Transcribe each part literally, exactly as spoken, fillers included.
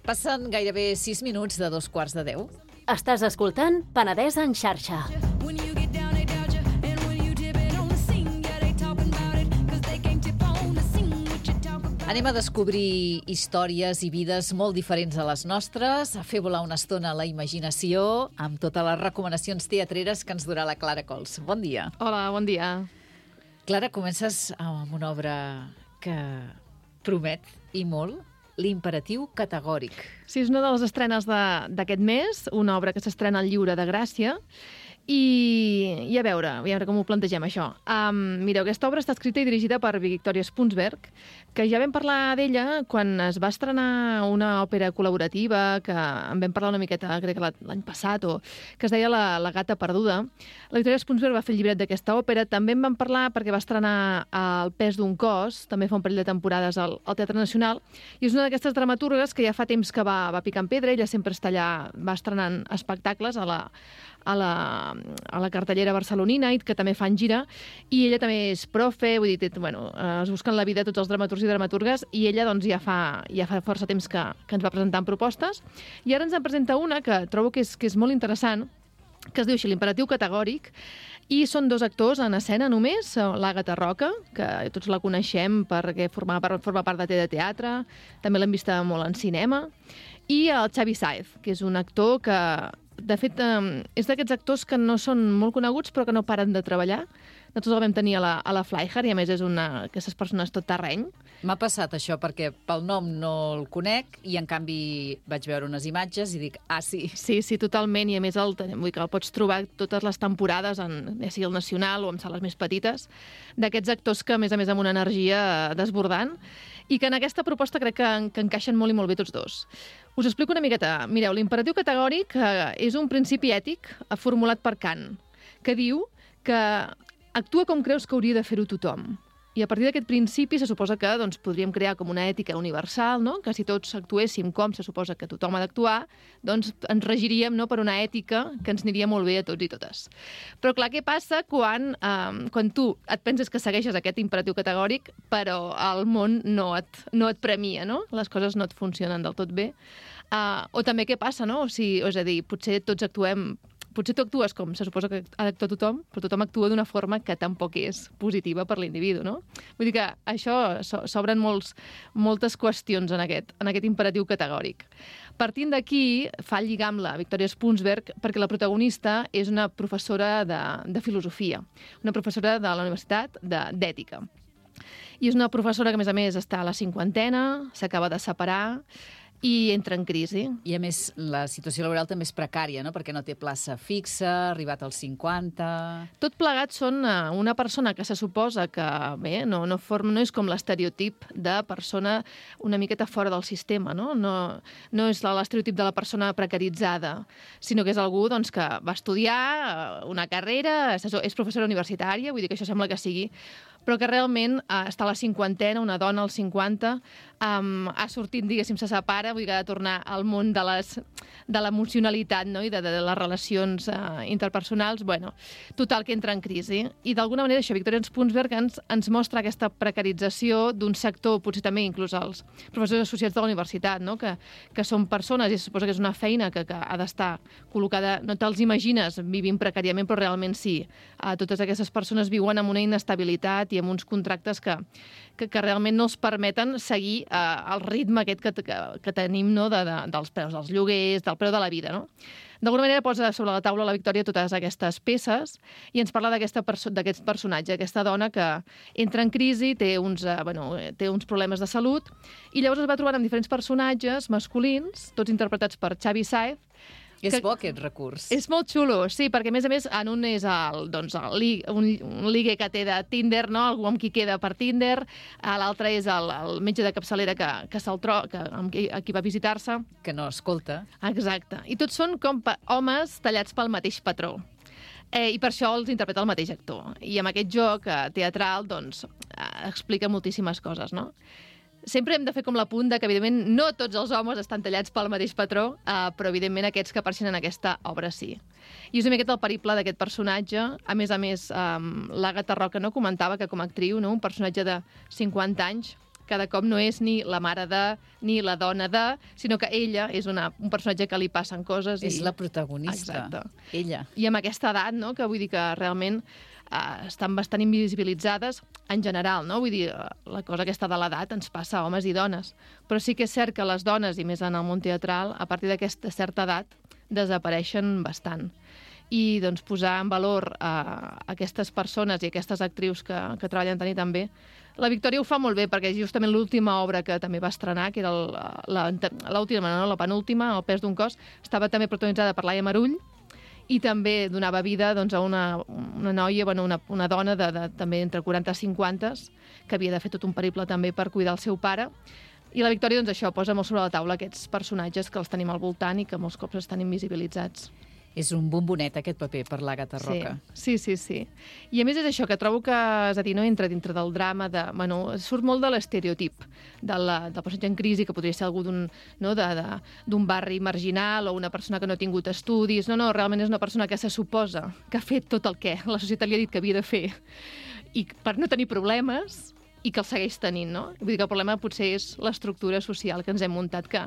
Passen gairebé sis minuts de dos quarts de deu. Estàs escoltant Penedès en xarxa. Anem a descobrir històries i vides molt diferents a les nostres, a fer volar una estona la imaginació amb totes les recomanacions teatreres que ens durà la Clara Cols. Bon dia. Hola, bon dia. Clara, comences amb una obra que promet, i molt, L'imperatiu categòric. Sí, és una de les estrenes d'aquest mes, una obra que s'estrena al Lliure de Gràcia. I, i a veure, a veure com ho plantegem, això. Um, mireu, aquesta obra està escrita i dirigida per Victoria Spunsberg, que ja vam parlar d'ella quan es va estrenar una òpera col·laborativa, que en vam parlar una miqueta, crec que l'any passat, o que es deia La, la gata perduda. La Victoria Spunsberg va fer el llibret d'aquesta òpera. També en vam parlar perquè va estrenar El pes d'un cos, també fa un parell de temporades al, al Teatre Nacional, i és una d'aquestes dramaturgues que ja fa temps que va, va picant pedra. Ella sempre està allà, va estrenant espectacles a la, a la, a la cartellera barcelonina, i que també fan gira, i ella també és profe, vull dir, bueno, es busquen la vida tots els dramaturgs i dramaturgues, i ella doncs ja fa, ja fa força temps que, que ens va presentant propostes, i ara ens en presenta una que trobo que és, que és molt interessant, que es diu així, L'imperatiu categòric, i són dos actors en escena només, l'Àgata Roca, que tots la coneixem perquè forma, forma part de T de Teatre, també l'hem vista molt en cinema, i el Xavi Sáez, que és un actor que, de fet, és d'aquests actors que no són molt coneguts però que no paren de treballar. Nosaltres el vam tenir a la, a la Flyhard, i a més és una d'aquestes persones tot terreny. M'ha passat això perquè pel nom no el conec i en canvi vaig veure unes imatges i dic, ah, sí. Sí, sí, totalment, i a més el, vull dir que el pots trobar totes les temporades, en, ja sigui el Nacional o en sales més petites, d'aquests actors que a més a més amb una energia desbordant, i que en aquesta proposta crec que, que encaixen molt i molt bé tots dos. Us explico una miqueta. Mireu, l'imperatiu categòric eh, és un principi ètic formulat per Kant, que diu que actua com creus que hauria de fer-ho tothom. I a partir d'aquest principi se suposa que doncs, podríem crear com una ètica universal, no? Que si tots actuéssim com se suposa que tothom ha d'actuar, doncs ens regiríem, no?, per una ètica que ens aniria molt bé a tots i totes. Però clar, què passa quan, eh, quan tu et penses que segueixes aquest imperatiu categòric, però el món no et, no et premia, no? Les coses no et funcionen del tot bé. Uh, o també què passa, no? O sigui, és a dir, potser tots actuem... Potser tu actues com se suposa que ha d'actuar tothom, però tothom actua d'una forma que tampoc és positiva per l'individu, no? Vull dir que això s'obren molts, moltes qüestions en aquest, en aquest imperatiu categòric. Partint d'aquí, fa el lligam la Victoria Spunsberg, perquè la protagonista és una professora de, de filosofia, una professora de la Universitat d'Ètica. I és una professora que, a més a més, està a la cinquantena, s'acaba de separar, i entra en crisi. I, a més, la situació laboral també és precària, no?, perquè no té plaça fixa, ha arribat als cinquanta... Tot plegat són una persona que se suposa que, bé, no, no, forma, no és com l'estereotip de persona una miqueta fora del sistema, no? No, no és l'estereotip de la persona precaritzada, sinó que és algú doncs, que va estudiar una carrera, és professora universitària, vull dir que això sembla que sigui, però que realment eh, està a la cinquantena, una dona als cinquanta, um, ha sortit, diguéssim, se separa, vull dir que ha de tornar al món de les de l'emocionalitat, no?, i de, de, de les relacions uh, interpersonals. Bueno, total, que entra en crisi. I d'alguna manera això, Victoria Spunsberg ens, ens mostra aquesta precarització d'un sector, potser també inclús els professors associats de la universitat, no?, que, que són persones, i se suposa que és una feina que, que ha d'estar col·locada, no te'ls imagines vivint precàriament, però realment sí. Uh, totes aquestes persones viuen amb una inestabilitat i amb uns contractes que, que, que realment no els permeten seguir eh, el ritme aquest que, que, que tenim, no?, de, de, dels preus dels lloguers, del preu de la vida, no? D'alguna manera posa sobre la taula la Victòria totes aquestes peces i ens parla d'aquest perso personatge, aquesta dona que entra en crisi, té uns, eh, bueno, té uns problemes de salut, i llavors es va trobant amb diferents personatges masculins, tots interpretats per Xavi Sáez. És bo aquest recurs. És molt xulo, sí, perquè a més a més en un és el, doncs, el, un, un ligue que té de Tinder, no?, algú amb qui queda per Tinder, l'altre és el, el metge de capçalera que, que se'l troba, que, amb qui, a qui va visitar-se. Que no escolta. Exacte. I tots són com homes tallats pel mateix patró. Eh, I per això els interpreta el mateix actor. I amb aquest joc eh, teatral, doncs, eh, explica moltíssimes coses, no? Sempre hem de fer com l'apunt de que, evidentment, no tots els homes estan tallats pel mateix patró, eh, però, evidentment, aquests que apareixen en aquesta obra sí. I és una miqueta el periple d'aquest personatge. A més a més, eh, l'Àgata Roca no comentava que com a actriu, no, un personatge de cinquanta anys cada cop no és ni la mare de, ni la dona de, sinó que ella és una, un personatge que li passen coses. És i... la protagonista, Exacte. ella. I amb aquesta edat, no?, que vull dir que realment eh, estan bastant invisibilitzades en general, no? Vull dir, la cosa aquesta de l'edat ens passa a homes i dones. Però sí que és cert que les dones, i més en el món teatral, a partir d'aquesta certa edat, desapareixen bastant. I doncs, posar en valor a aquestes persones i aquestes actrius que, que treballen tant i tan bé. La Victòria ho fa molt bé, perquè justament l'última obra que també va estrenar, que era l'última, no, la penúltima, El pes d'un cos, estava també protagonitzada per Laia Marull, i també donava vida doncs, a una, una noia, bueno, una, una dona de, de, també entre quaranta i cinquanta, que havia de fer tot un periple també per cuidar el seu pare. I la Victòria, doncs, això, posa molt sobre la taula aquests personatges que els tenim al voltant i que molts cops estan invisibilitzats. És un bombonet, aquest paper, per l'Àgata Roca. Sí, sí, sí, sí. I a més és això, que trobo que, és a dir, no entra dintre del drama, de, bueno, surt molt de l'estereotip de la, del personatge en crisi, que podria ser algú d'un, no, de, de, d'un barri marginal o una persona que no ha tingut estudis. No, no, realment és una persona que se suposa que ha fet tot el que la societat li ha dit que havia de fer i per no tenir problemes, i que el segueix tenint, no? Vull dir que el problema potser és l'estructura social que ens hem muntat, que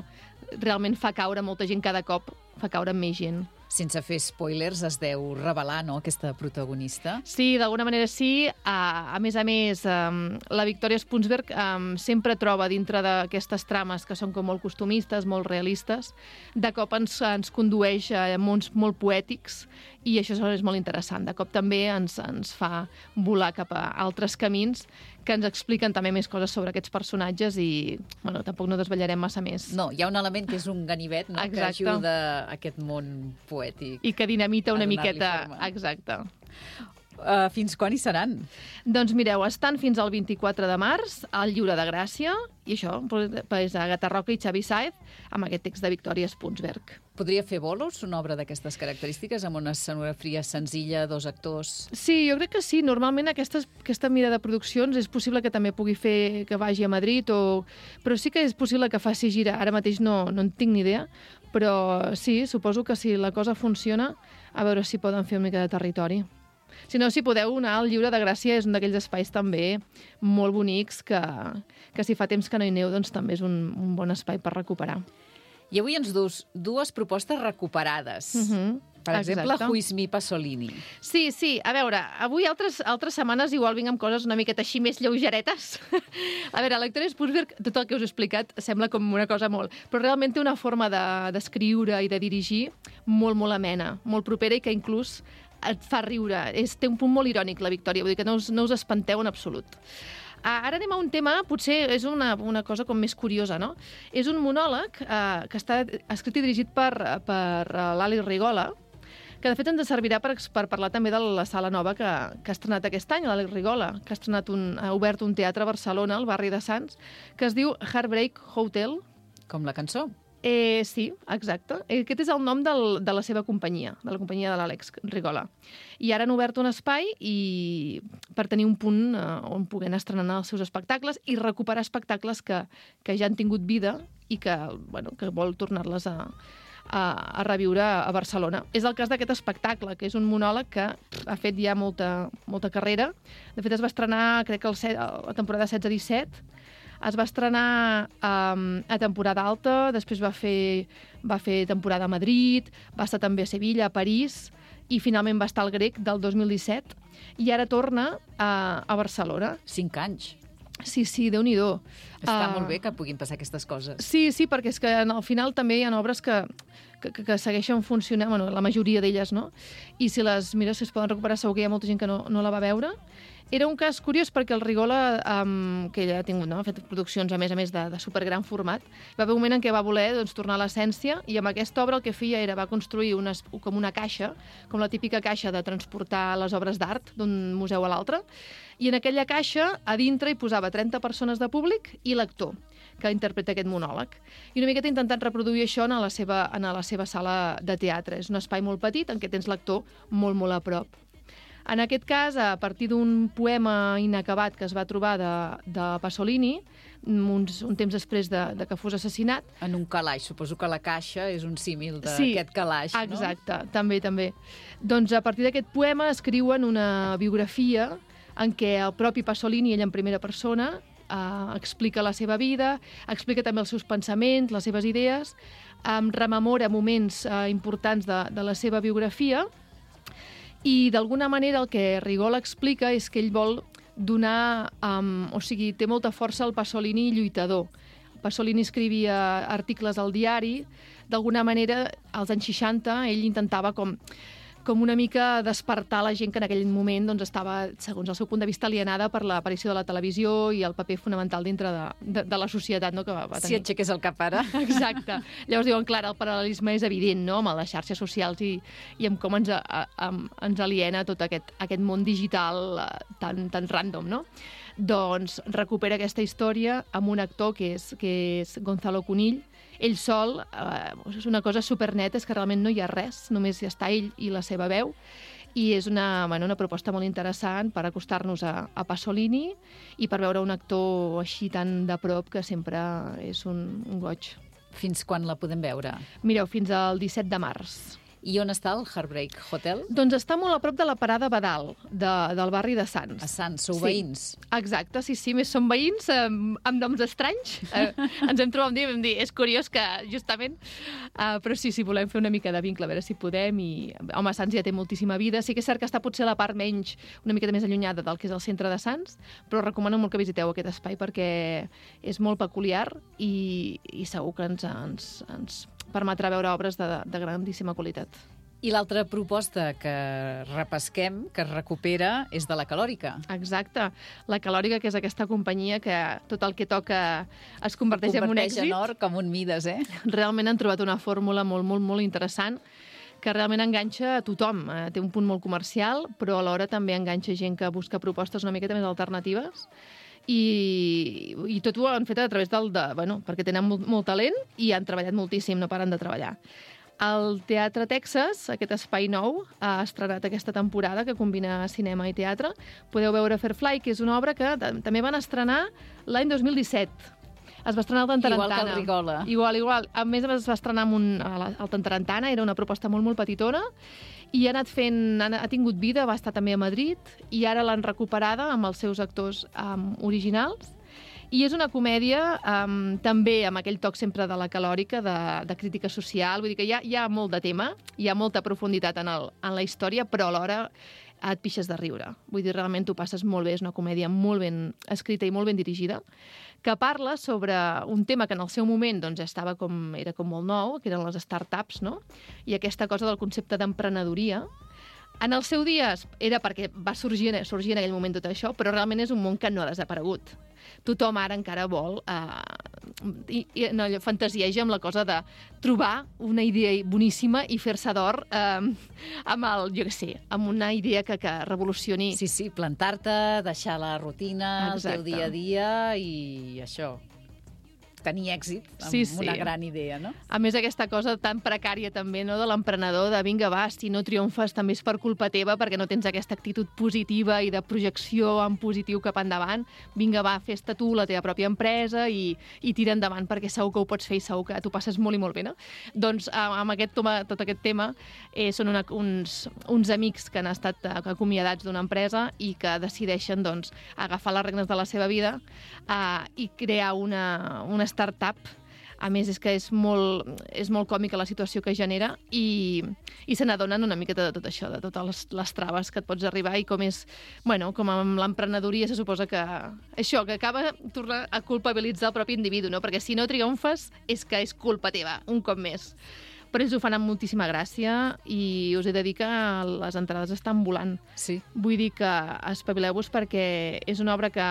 realment fa caure molta gent cada cop, fa caure més gent. Sense fer spoilers, es deu revelar, no?, aquesta protagonista. Sí, d'alguna manera sí. A, a més a més, um, la Victòria Spunsberg um, sempre troba dintre d'aquestes trames que són com molt costumistes, molt realistes, de cop ens, ens condueix a mons molt poètics, i això és molt interessant. De cop també ens, ens fa volar cap a altres camins que ens expliquen també més coses sobre aquests personatges i, bueno, tampoc no desvetllarem massa més. No, hi ha un element que és un ganivet, no?, que ajuda a aquest món poètic. I que dinamita una miqueta... forma. Exacte. Uh, fins quan hi seran? Doncs mireu, estan fins al vint-i-quatre de març al Lliure de Gràcia, i això, és Àgata Roca i Xavi Sáez, amb aquest text de Victòria Spunsberg. Podria fer bolos una obra d'aquestes característiques, amb una escenografia senzilla, dos actors? Sí, jo crec que sí. Normalment aquestes, aquesta mida de produccions és possible que també pugui fer que vagi a Madrid, o... però sí que és possible que faci gira. Ara mateix no, no en tinc ni idea, però sí, suposo que si la cosa funciona, a veure si poden fer una mica de territori. Si no, si podeu anar al Lliure de Gràcia, és un d'aquells espais també molt bonics que, que si fa temps que no hi aneu, doncs també és un, un bon espai per recuperar. I avui ens dus dues propostes recuperades. Uh-huh. Per exemple, Exacte. Who is me Pasolini. Sí, sí. A veure, avui altres, altres setmanes igual vinc amb coses una miqueta així més lleugeretes. A veure, la Victòria Spunsberg, tot el que us he explicat sembla com una cosa molt... Però realment té una forma d'escriure de, i de dirigir molt, molt amena, molt propera i que inclús et fa riure. És, té un punt molt irònic, la Victòria, vull dir que no us, no us espanteu en absolut. Ara anem a un tema, potser és una, una cosa com més curiosa, no? És un monòleg eh, que està escrit i dirigit per, per l'Ali Rigola, que de fet ens servirà per, per parlar també de la sala nova que, que ha estrenat aquest any, l'Àlex Rigola, que ha, estrenat un, ha obert un teatre a Barcelona, al barri de Sants, que es diu Heartbreak Hotel. Com la cançó. Eh, sí, exacte. Aquest és el nom del, de la seva companyia, de la companyia de l'Àlex Rigola. I ara han obert un espai i per tenir un punt eh, on puguin estrenar els seus espectacles i recuperar espectacles que, que ja han tingut vida i que, bueno, que vol tornar-les a, a, a reviure a Barcelona. És el cas d'aquest espectacle, que és un monòleg que ha fet ja molta, molta carrera. De fet, es va estrenar, crec que el set, la temporada setze disset, es va estrenar um, a temporada alta, després va fer, va fer temporada a Madrid, va estar també a Sevilla, a París, i finalment va estar al Grec del dos mil disset, i ara torna a, a Barcelona. Cinc anys. Sí, sí, Déu-n'hi-do. Està uh, molt bé que puguin passar aquestes coses. Sí, sí, perquè és que al final també hi ha obres que, que, que segueixen funcionant, bueno, la majoria d'elles, no? I si les mires, si es poden recuperar, segur que hi ha molta gent que no, no la va veure. Era un cas curiós perquè el Rigola, um, que ella ha tingut, no? Ha fet produccions a més a més de, de supergran format, va haver un moment en què va voler doncs, tornar a l'essència, i amb aquesta obra el que feia era va construir una, com una caixa, com la típica caixa de transportar les obres d'art d'un museu a l'altre, i en aquella caixa a dintre hi posava trenta persones de públic i l'actor que interpreta aquest monòleg. I una miqueta intentant reproduir això en la seva, en la seva sala de teatre. És un espai molt petit en què tens l'actor molt, molt a prop. En aquest cas, a partir d'un poema inacabat que es va trobar de, de Pasolini, uns, un temps després de, de que fos assassinat... En un calaix. Suposo que la caixa és un símil d'aquest sí, calaix, no? Exacte, també, també. Doncs a partir d'aquest poema escriuen una biografia en què el propi Pasolini, ell en primera persona, uh, explica la seva vida, explica també els seus pensaments, les seves idees, um, rememora moments uh, importants de, de la seva biografia i d'alguna manera el que Rigol explica és que ell vol donar, um, o sigui, té molta força el Pasolini lluitador. Pasolini escrivia articles al diari, d'alguna manera, als anys seixanta, ell intentava com, com una mica despertar la gent que en aquell moment doncs, estava, segons el seu punt de vista, alienada per l'aparició de la televisió i el paper fonamental dintre de, de, de la societat, no?, que va tenir. Si aixequés el cap ara. Exacte. Llavors diuen, clar, el paral·lelisme és evident, no?, amb les xarxes socials i, i amb com ens, a, a, ens aliena tot aquest, aquest món digital tan, tan random, no? Doncs recupera aquesta història amb un actor que és, que és Gonzalo Cunill. Ell sol, eh, és una cosa superneta, és que realment no hi ha res, només hi està ell i la seva veu, i és una, bueno, una proposta molt interessant per acostar-nos a, a Pasolini i per veure un actor així tan de prop que sempre és un, un goig. Fins quan la podem veure? Mireu, fins al disset de març. I on està el Heartbreak Hotel? Doncs està molt a prop de la parada Badal, de, del barri de Sants. A Sants, sou sí. veïns? Exacte, sí, sí, més som veïns, eh, amb noms estranys. Eh, ens hem trobat un dia i vam dir, és curiós que, justament, eh, però sí, sí, volem fer una mica de vincle, a veure si podem, i, home, Sants ja té moltíssima vida. Sí que és cert que està potser a la part menys, una mica més allunyada del que és el centre de Sants, però recomano molt que visiteu aquest espai perquè és molt peculiar i, i segur que ens, ens, ens permetrà veure obres de, de grandíssima qualitat. I l'altra proposta que repesquem, que es recupera, és de la Calòrica. Exacte. La Calòrica, que és aquesta companyia que tot el que toca es converteix, en un èxit. Converteix en or com un Mides, eh? Realment han trobat una fórmula molt, molt, molt interessant que realment enganxa a tothom. Té un punt molt comercial, però alhora també enganxa gent que busca propostes una miqueta més alternatives. I, i tot ho han fet a través del... De, bueno, perquè tenen molt, molt talent i han treballat moltíssim, no paren de treballar. El Teatre Texas, aquest espai nou, ha estrenat aquesta temporada que combina cinema i teatre. Podeu veure Fairfly, que és una obra que també van estrenar l'any dos mil disset. Es va estrenar al Tantarantana. Igual que el Rigola. Igual, igual. A més, es va estrenar amb un, al Tantarantana, era una proposta molt, molt petitona, i ha anat fent, ha tingut vida, va estar també a Madrid, i ara l'han recuperada amb els seus actors um, originals. I és una comèdia um, també amb aquell toc sempre de la Calòrica, de, de crítica social, vull dir que hi ha, hi ha molt de tema, hi ha molta profunditat en, el, en la història, però alhora et pixes de riure. Vull dir, realment t'ho passes molt bé, és una comèdia molt ben escrita i molt ben dirigida, que parla sobre un tema que en el seu moment doncs, estava com, era com molt nou, que eren les startups, no? I aquesta cosa del concepte d'emprenedoria. En el seu dia era perquè va sorgir, sorgir en aquell moment tot això, però realment és un món que no ha desaparegut. Tothom ara encara vol eh, i, i, no, fantasieja amb la cosa de trobar una idea boníssima i fer-se d'or eh, amb el, jo què sé, amb una idea que, que revolucioni. Sí, sí, plantar-te, deixar la rutina, Exacte. El teu dia a dia i això, tenir èxit amb sí, sí. una gran idea, no? A més, aquesta cosa tan precària també, no?, de l'emprenedor, de vinga, va, si no triomfes també és per culpa teva, perquè no tens aquesta actitud positiva i de projecció en positiu cap endavant. Vinga, va, fes-te tu la teva pròpia empresa i, i tira endavant, perquè segur que ho pots fer i segur que t'ho passes molt i molt bé, no? Doncs amb aquest, tot aquest tema eh, són una, uns, uns amics que han estat acomiadats d'una empresa i que decideixen doncs, agafar les regnes de la seva vida eh, i crear una, una startup. A més, és que és molt, és molt còmica la situació que genera i, i se n'adonen una miqueta de tot això, de totes les, les traves que et pots arribar i com és, bueno, com amb l'emprenedoria se suposa que això, que acaba tornar a culpabilitzar el propi individu, no? Perquè si no triomfes és que és culpa teva, un cop més. Però ells ho fan amb moltíssima gràcia i us he de dir que les entrades estan volant. Sí. Vull dir que espavileu-vos perquè és una obra que,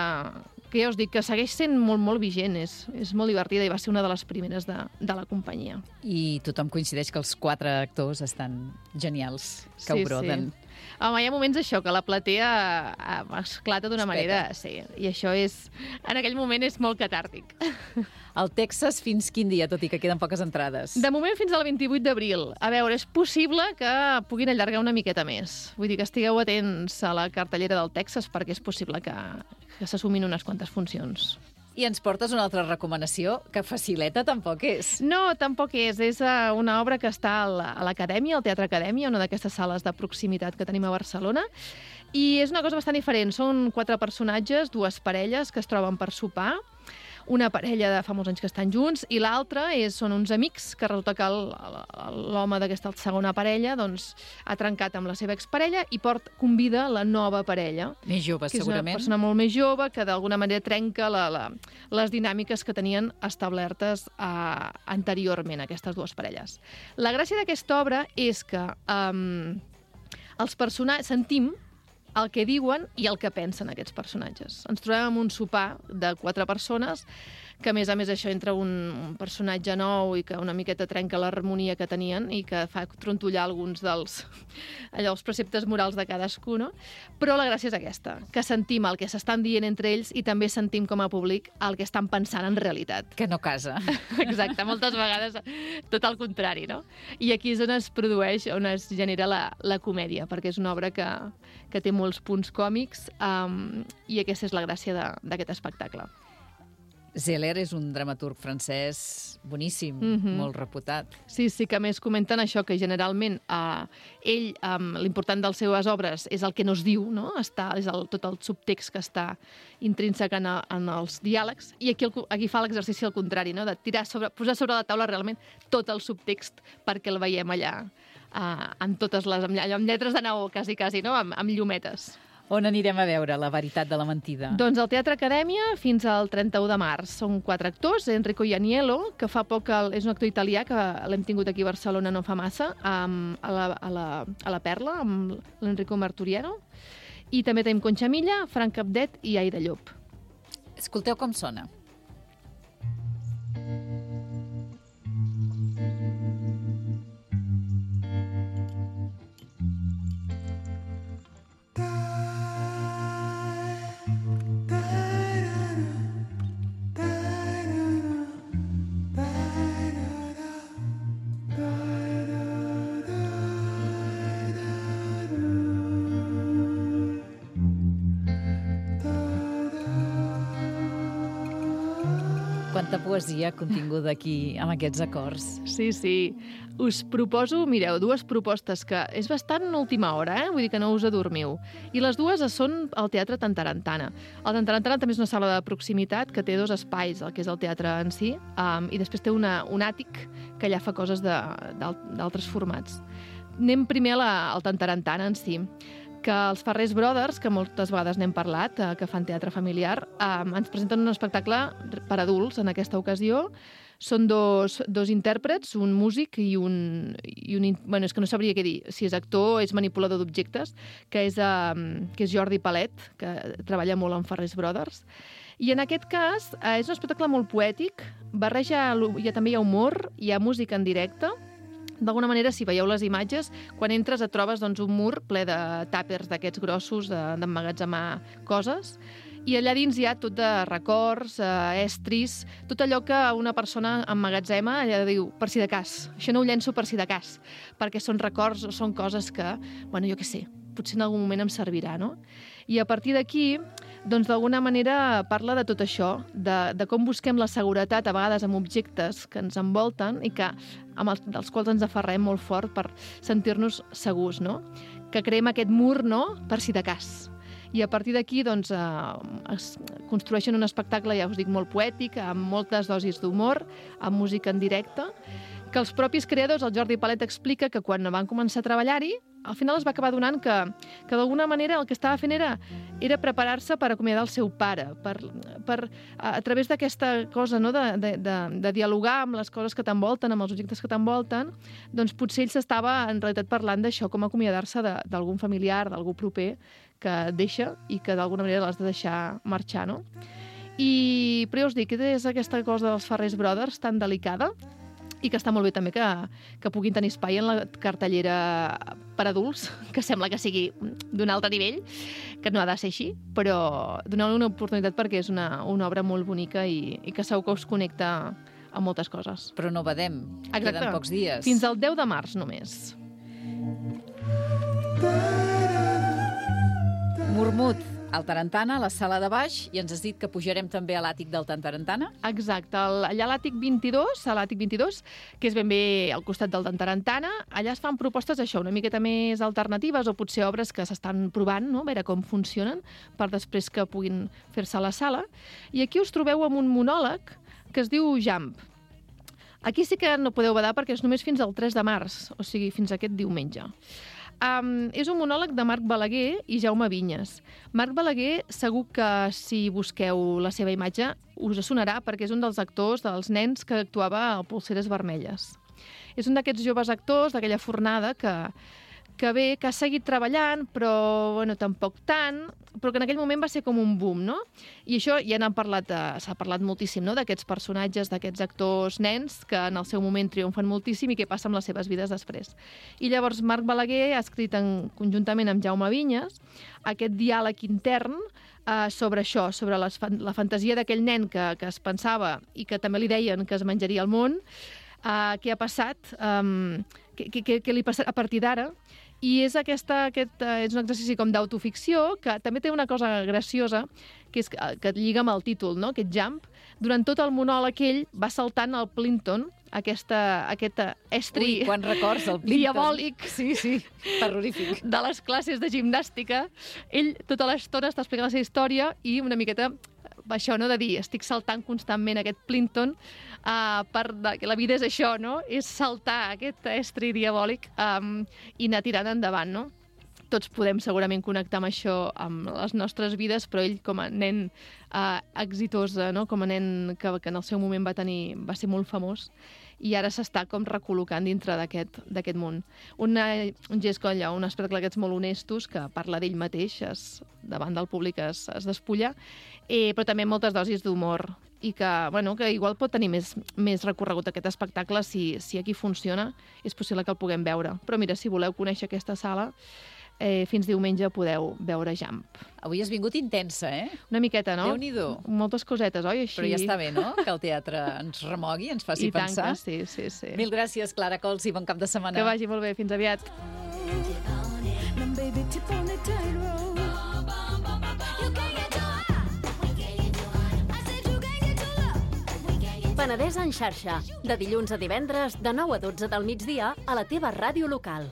que ja us dic que segueix sent molt, molt vigent, és, és molt divertida i va ser una de les primeres de, de la companyia. I tothom coincideix que els quatre actors estan genials, que sí, ho broden. Sí. Home, hi ha moments això, que la platea esclata d'una manera... Sí, i això és... En aquell moment és molt catàrtic. El Texas fins quin dia, tot i que queden poques entrades? De moment fins al vint-i-vuit d'abril. A veure, és possible que puguin allargar una miqueta més. Vull dir que estigueu atents a la cartellera del Texas perquè és possible que, que s'assumin unes quantes funcions. I ens portes una altra recomanació, que facileta tampoc és. No, tampoc és. És una obra que està a l'Acadèmia, al Teatre Acadèmia, una d'aquestes sales de proximitat que tenim a Barcelona, I és una cosa bastant diferent. Són quatre personatges, dues parelles que es troben per sopar, una parella de fa molts anys que estan junts, i l'altra són uns amics que resulta que l'home d'aquesta segona parella doncs, ha trencat amb la seva exparella i port, convida la nova parella. Més jove, que segurament. És una persona molt més jove que d'alguna manera trenca la, la, les dinàmiques que tenien establertes uh, anteriorment, aquestes dues parelles. La gràcia d'aquesta obra és que um, els personatges sentim el que diuen i el que pensen aquests personatges. Ens trobem en un sopar de quatre persones que, a més a més, això entra un, un personatge nou i que una miqueta trenca l'harmonia que tenien i que fa trontollar alguns dels allò, els preceptes morals de cadascú, no? Però la gràcia és aquesta, que sentim el que s'estan dient entre ells i també sentim com a públic el que estan pensant en realitat. Que no casa. Exacte, moltes vegades tot el contrari, no? I aquí és on es produeix, on es genera la, la comèdia, perquè és una obra que, que té molts punts còmics um, i aquesta és la gràcia d'aquest espectacle. Zeller és un dramaturg francès boníssim, mm-hmm. molt reputat. Sí, sí, que a més comenten això, que generalment eh, ell, eh, l'important de les seves obres és el que no es diu, no? Està, és el, tot el subtext que està intrínsec en, a, en els diàlegs, i aquí, el, aquí fa l'exercici al contrari, no? De tirar sobre, posar sobre la taula realment tot el subtext perquè el veiem allà, eh, amb totes les, amb, amb lletres de neó, quasi, quasi, no? Amb, amb llumetes. On anirem a veure La veritat de la mentida? Doncs al Teatre Acadèmia fins al trenta-u de març. Són quatre actors, Enrico Ianiello, que fa poc el, és un actor italià que l'hem tingut aquí a Barcelona no fa massa, amb, a, la, a, la, a la Perla, amb l'Enrico Marturiano, i també tenim Concha Milla, Frank Capdet i Aida Llop. Escolteu com sona. Quanta poesia continguda aquí amb aquests acords. Sí, sí. Us proposo, mireu, dues propostes que és bastant última hora, eh? Vull dir que no us adormiu. I les dues són al Teatre Tantarantana. El Tantarantana també és una sala de proximitat que té dos espais, el que és el teatre en si, um, i després té una, un àtic que allà fa coses d'altres formats. Anem primer a la, al Tantarantana en si, que els Farrés Brothers, que moltes vegades n'hem parlat, eh, que fan teatre familiar, eh, ens presenten un espectacle per adults en aquesta ocasió. Són dos, dos intèrprets, un músic i un, i un... Bueno, és que no sabria què dir, si és actor o és manipulador d'objectes, que és, eh, que és Jordi Palet, que treballa molt amb Farrés Brothers. I en aquest cas eh, és un espectacle molt poètic, barreja, ja també hi ha humor, hi ha música en directe. D'alguna manera, si veieu les imatges, quan entres et trobes doncs, un mur ple de tàpers d'aquests grossos d'emmagatzemar coses, i allà dins hi ha tot de records, eh, estris, tot allò que una persona emmagatzema, allà diu, per si de cas, això no ho llenço per si de cas, perquè són records o són coses que, bueno, jo què sé, potser en algun moment em servirà, no? I a partir d'aquí, doncs d'alguna manera parla de tot això, de, de com busquem la seguretat a vegades amb objectes que ens envolten i que, amb els, dels quals ens aferrem molt fort per sentir-nos segurs, no? Que creem aquest mur, no?, per si de cas. I a partir d'aquí doncs, eh, es construeixen un espectacle, ja us dic, molt poètic, amb moltes dosis d'humor, amb música en directe, que els propis creadors, el Jordi Palet explica que quan van començar a treballar-hi, al final es va acabar donant que, que d'alguna manera el que estava fent era, era preparar-se per acomiadar el seu pare, per, per, a, a través d'aquesta cosa, no?, de, de, de, de dialogar amb les coses que t'envolten, amb els objectes que t'envolten, doncs potser ell s'estava en realitat parlant d'això, com acomiadar-se d'algun familiar, d'algú proper que deixa i que d'alguna manera l'has de deixar marxar, no? I, però ja us dic, és aquesta cosa dels Farrés Brothers tan delicada i que està molt bé també que, que puguin tenir espai en la cartellera per adults, que sembla que sigui d'un altre nivell, que no ha de ser així, però donar-li una oportunitat perquè és una, una obra molt bonica i, i que segur que us connecta amb moltes coses. Però no badem, queden pocs dies. Fins al deu de març només. Murmut. al Tarantana, a la sala de baix, i ens has dit que pujarem també a l'àtic del Tarantana. Exacte, el, allà a l'àtic vint-i-dos, a l'àtic vint-i-dos, que és ben bé al costat del Tarantana, allà es fan propostes, això, una miqueta més alternatives o potser obres que s'estan provant, no?, a veure com funcionen, per després que puguin fer-se a la sala. I aquí us trobeu amb un monòleg que es diu Jump. Aquí sí que no podeu badar perquè és només fins al tres de març, o sigui, fins aquest diumenge. Um, és un monòleg de Marc Balaguer i Jaume Vinyes. Marc Balaguer, segur que si busqueu la seva imatge us sonarà perquè és un dels actors, dels nens que actuava a Polseres Vermelles. És un d'aquests joves actors d'aquella fornada que, que bé, que ha seguit treballant, però bueno, tampoc tant, però que en aquell moment va ser com un boom, no? I això ja n'han parlat, s'ha parlat moltíssim, no?, d'aquests personatges, d'aquests actors nens que en el seu moment triomfen moltíssim i què passa amb les seves vides després. I llavors Marc Balaguer ha escrit en, conjuntament amb Jaume Vinyes aquest diàleg intern eh, sobre això, sobre les, la fantasia d'aquell nen que, que es pensava i que també li deien que es menjaria el món, eh, què ha passat, eh, què, què, què li passa a partir d'ara. I és, aquesta, aquest, uh, és un exercici com d'autoficció que també té una cosa graciosa, que és que, que et lliga amb el títol, no?, aquest jump. Durant tot el monòleg ell va saltant al Plinton, aquesta, aquest estri Ui, quan records el Plinton. Diabòlic, sí, sí, terrorífic, de les classes de gimnàstica. Ell tota l'estona està explicant la seva història i una miqueta això, no?, de dir, estic saltant constantment aquest Plinton, uh, per de, que la vida és això, no?, és saltar aquest estri diabòlic um, i anar tirant endavant, no? Tots podem segurament connectar amb això amb les nostres vides, però ell com a nen uh, exitós, no?, com a nen que, que en el seu moment va tenir, va ser molt famós, i ara s'està com recol·locant dintre d'aquest d'aquest món. Una, un gest com allò, un espectacle d'aquests molt honestos, que parla d'ell mateix, es, davant del públic es, es despulla, eh, però també moltes dosis d'humor, i que, bueno, que igual pot tenir més, més recorregut aquest espectacle si, si aquí funciona, és possible que el puguem veure. Però mira, si voleu conèixer aquesta sala, Eh, fins diumenge podeu veure Jump. Avui has vingut intensa, eh? Una miqueta, no? Déu-n'hi-do. Moltes cosetes, oi? Així... Però ja està bé, no?, que el teatre ens remogui, ens faci I tant pensar. que sí, sí, sí. Mil gràcies, Clara Cols, i bon cap de setmana. Que vagi molt bé. Fins aviat. Penedès en xarxa, de dilluns a divendres, de nou a dotze del migdia, a la teva ràdio local.